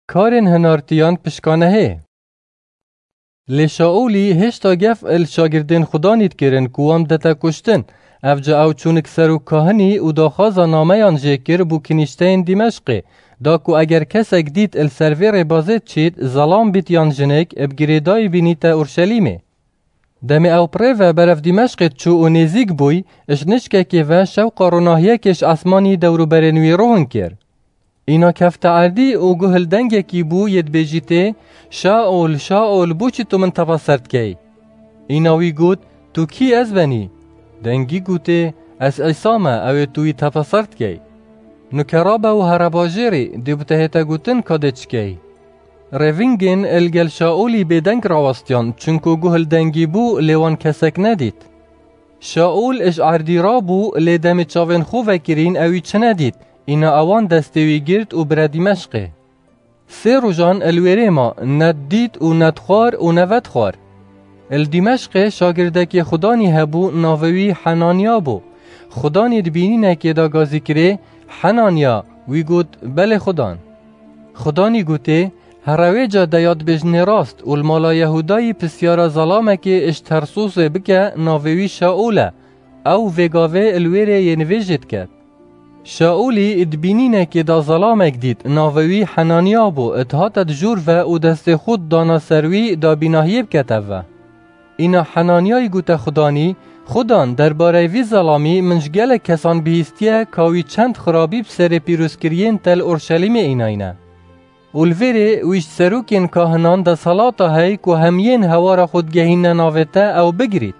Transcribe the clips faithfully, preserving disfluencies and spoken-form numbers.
Karên hinartiyan pişkanehê. Lê Şaûlî hêşta gef il şagirdên Xudanî dikirin ku wan bidete kuştin. Evca ew çûnik ser û kahinî û daxwaza nameyan jê kir bû kinîşteyên Dîmeşqê, da ku eger kesek dît il ser vê rêbazê diçît, zelam bît yan jinik, bi girêdayî bînîte Urşelîmê. Demê ew bi rê ve berev Dîmeşqê diçû û nêzîk bûy, ji nişkekê ve şewqa ronahiyekê ji esmanî dewrûberên wî rohin kir. Îna kefte erdî û guh li dengekî bû yê dibêjîtê, "Şaûl, Şaûl, bo çi tu min tevaser dikey?" Îna wî got, "Tu kî ez benî?" Dengî gotê, "Ez Îsa me, ew ê tu wî tevaser dikey." Nuke rabe û here bajêrî, dê bi te hête gotin ka dê çi key. Rêvingên il gel Şaûlî bêdeng rawestiyan, çunku guh li dengî bû, lê wan kesek nedît. Şaûl ji erdî rabû, lê demê çavên xwe vekirîn ew wî çi nedît, îna ewan destê wî girt û bire Dîmeşqê. Sê rojan il wêrê ma, ne dît û ne dixwar û ne vedixwar. Il Dîmeşqê şagirdekê Xudanî hebû, navê wî Henanya bû. Xudanî di bînînekê de gazî kirê, "Henanya!" Wî got, "Belê Xudan." Xudanî gotê, "Here wê cadeyê dibêjinê rast û li mala Yehûdayî pisyara zelamekê ji Tersûsê bike, navê wî Şaûl e. Ew vê gavê li wêrê yê nivêjê diket." Şaûlî di bînînekê de zelamek dît, navê wî Henanya bû, dihate di jûr ve û destê xwe didana ser wî da bînahiyê bikete ve. Îna Henanyayî gote Xudanî, "Xudan, derbareyê vî zelamî min ji gelek kesan bihîstiye ka wî çend xirabî bi serê pîrozkiriyên te li Orşelîmê înayne. Û li vêrê wî ji serokên kahinan desthilata hey ku hemiyên hewara xwe digehînine navê te ew bigirît."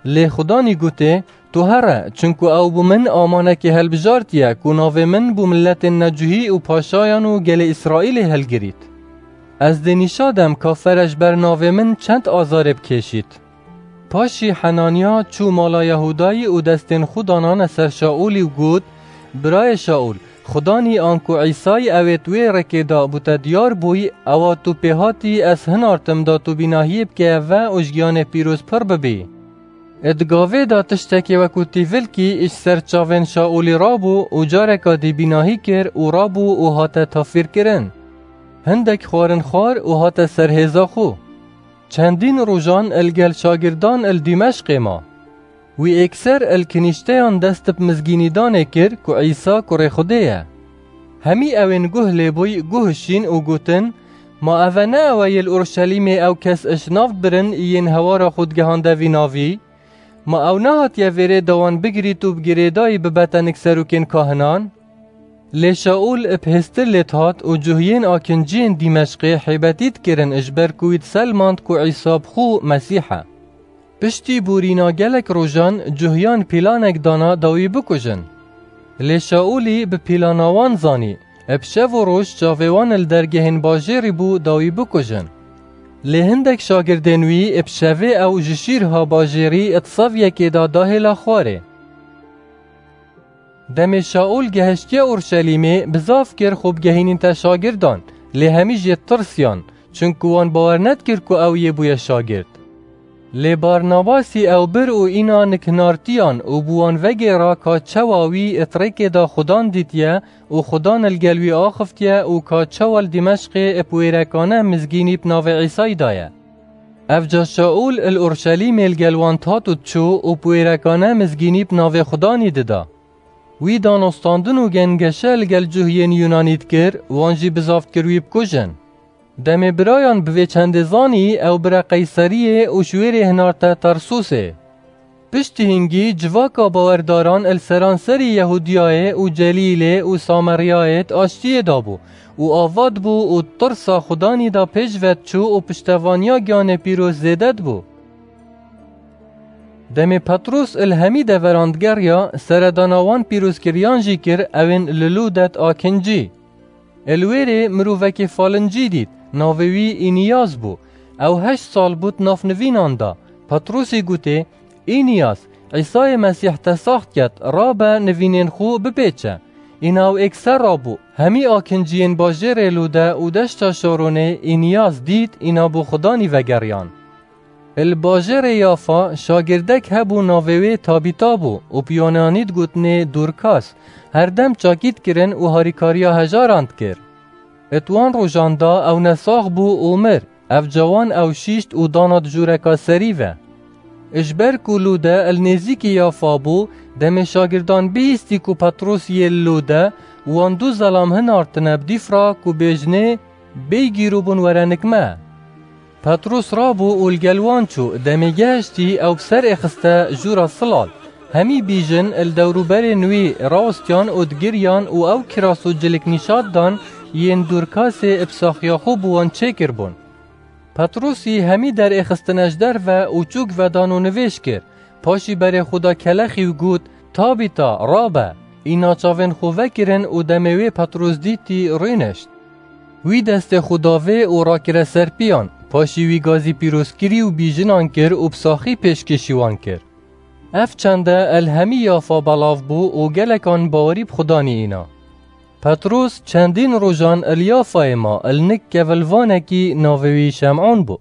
Lê Xudanî gotê, "Tu here, çunku ew bo min amanekê hilbijartiye ku navê min bo miletên necuhî û paşayan û gelê Îsraîlê hilgirît. Ez dê nîşa dem ka fere ji ber navê min çend azarê bikêşît." Paşî Henanya çû mala Yehûdayî û destên xwe danane ser Şaûlî û got, "Birayê Şaûl, Xudanî anku Îsayî ew ê di wê rêkê de bo te diyar bûyî, ewa tu pê hatî ez hinartim da tu bînahiyê bikeye ve û ji giyanê pîroz pir bibî." Di gavê de tiştekê wekû tîvilkî ji ser çavên Şaûlî rabû û careka dî bînahî kir û rabû û hate tafîrkirin. Hindek xwarin xwar û hate ser hêza xwe. Çendîn rojan il gel şagirdan il Dîmeşqê ma. Wî êkser il kinîşteyan dest bi mizgînîdanê kir ku Îsa kurê Xwedê ye. Hemî ewên guh lê bûy guhişîn û gotin, "Ma eve ne ew e yê li Urşelîmê ew kes ji nav birin yên hewara xwe digihande vî navî? Ma ew nehatiye vêrê da wan bigirît û bi girêdayî bibete nik serokên kahinan?" Lê Şaûl bi hêstir lê dihat û cuhiyên akinciyên Dîmeşqê hêbetî dikirin, ji ber ku wî diselmand ku Îsa bi xwe Mesîh e. Piştî borîna gelek rojan cuhiyan pîlanek dana da wî bikujin. Lê Şaûlî bi pîlana wan zanî, bi şev û roj çavê wan li dergehên bajêrî bû da wî bikujin. Lê hindek şagirdên wî bi şevê ew ji şîrha bajêrî di sevyekê de dahêla xwarê. Demê Şaûl gehiştiye Urşelîmê, bizav kir xwe bigehînîte şagirdan, lê hemî jê tirsiyan, çunku wan bawer nedikir ku ew yê bûye şagirt. Lê Barnabasî ew bir û îna nikhinartiyan û bi wan vegêra ka çawa wî di rêkê de Xudan dîtiye û Xudan li gel wî axiftiye û ka çawa li Dîmeşqê bi wêrekane mizgînî bi navê Îsayî daye. Evca Şaûl li Urşelîmê li gel wan dihat û diçû û bi wêrekane mizgînî bi navê Xudanî dida. Wî danostandin û gengeşe li gel cuhiyên Yunanî dikir, wan jî bizav dikir wî bikujin. Demê birayan bi vê çendê zanî, ew bire Qeyseriyê û ji wêrê hinarte Tarsusê. Piştî hingî civaka bawerdaran li seranserî Yehûdiyayê û Celîlê û Sameryayê di aştiyê de bû û ava dibû û di tirsa Xudanî de pêş ve diçû û piştevaniya giyanê pîroz zêde dibû. Demê Petrûs li hemî deveran digeriya, seredana wan pîrozkiriyan jî kir, ewên li Lûde di akincî. Li wêrê mirovekî falincî dît, navê wî Îniyas bû. Ew heşt sal bû di nav nivînan de. Petrûsî gotê, "Îniyas, Îsayê Mesîh te sax diket, rabe nivînên xwe bipêçe." Îna ew êkser rabû, hemî akinciyên bajêrê Lûde û deşta Şaronê Îniyas dît, îna bo Xudanî vegeriyan. Li bajêrê Yafa şagirdek hebû, navê wê Tabîta bû û bi Yunanî digotinê Dorkas, herdem çakî dikirin û harîkariya hejaran dikir. It wan rojan de ew nesax bû û mir. Ev cawan ew şîşt û dana di jûreka serî ve. Ji ber ku Lûde li nêzîkî Yafa bû, demê şagirdan bihîstî ku Petros yê li Lûde û wan du zelam hinartine bi dîf re ku bêjinê, bêyî gîrûbûn were nik me. Petros rabû û li gel wan çû, demê gehiştî ew bi ser êxiste jûra silal. Hemî bîjin li dewrûberên wî rawestiyan û digiriyan û ew kiras û cilik nîşat dan yên Dorkasê bi saxiya xwe bi wan çêkiribûn. Petrosî hemî derêxistine ji derve û çûk vedan û nivêj kir. Paşî berê xwe da kelexî û got, Tabîta, rabe! Îna çavên xwe vekirin û demê wê Petros dîtî, rûnişt. Wî destê xwe da vê û rakire ser piyan. Paşî wî gazî pîroz kirî û bîjinan kir û bi saxî pêşkêşî wan kir. Ev çende li hemî Yafa belav bû û gelekan bawerî bi Xudanî îna. Petros çendîn rojan li Yafayê ma, li nik kevilvanekî navê wî Şem'on bû.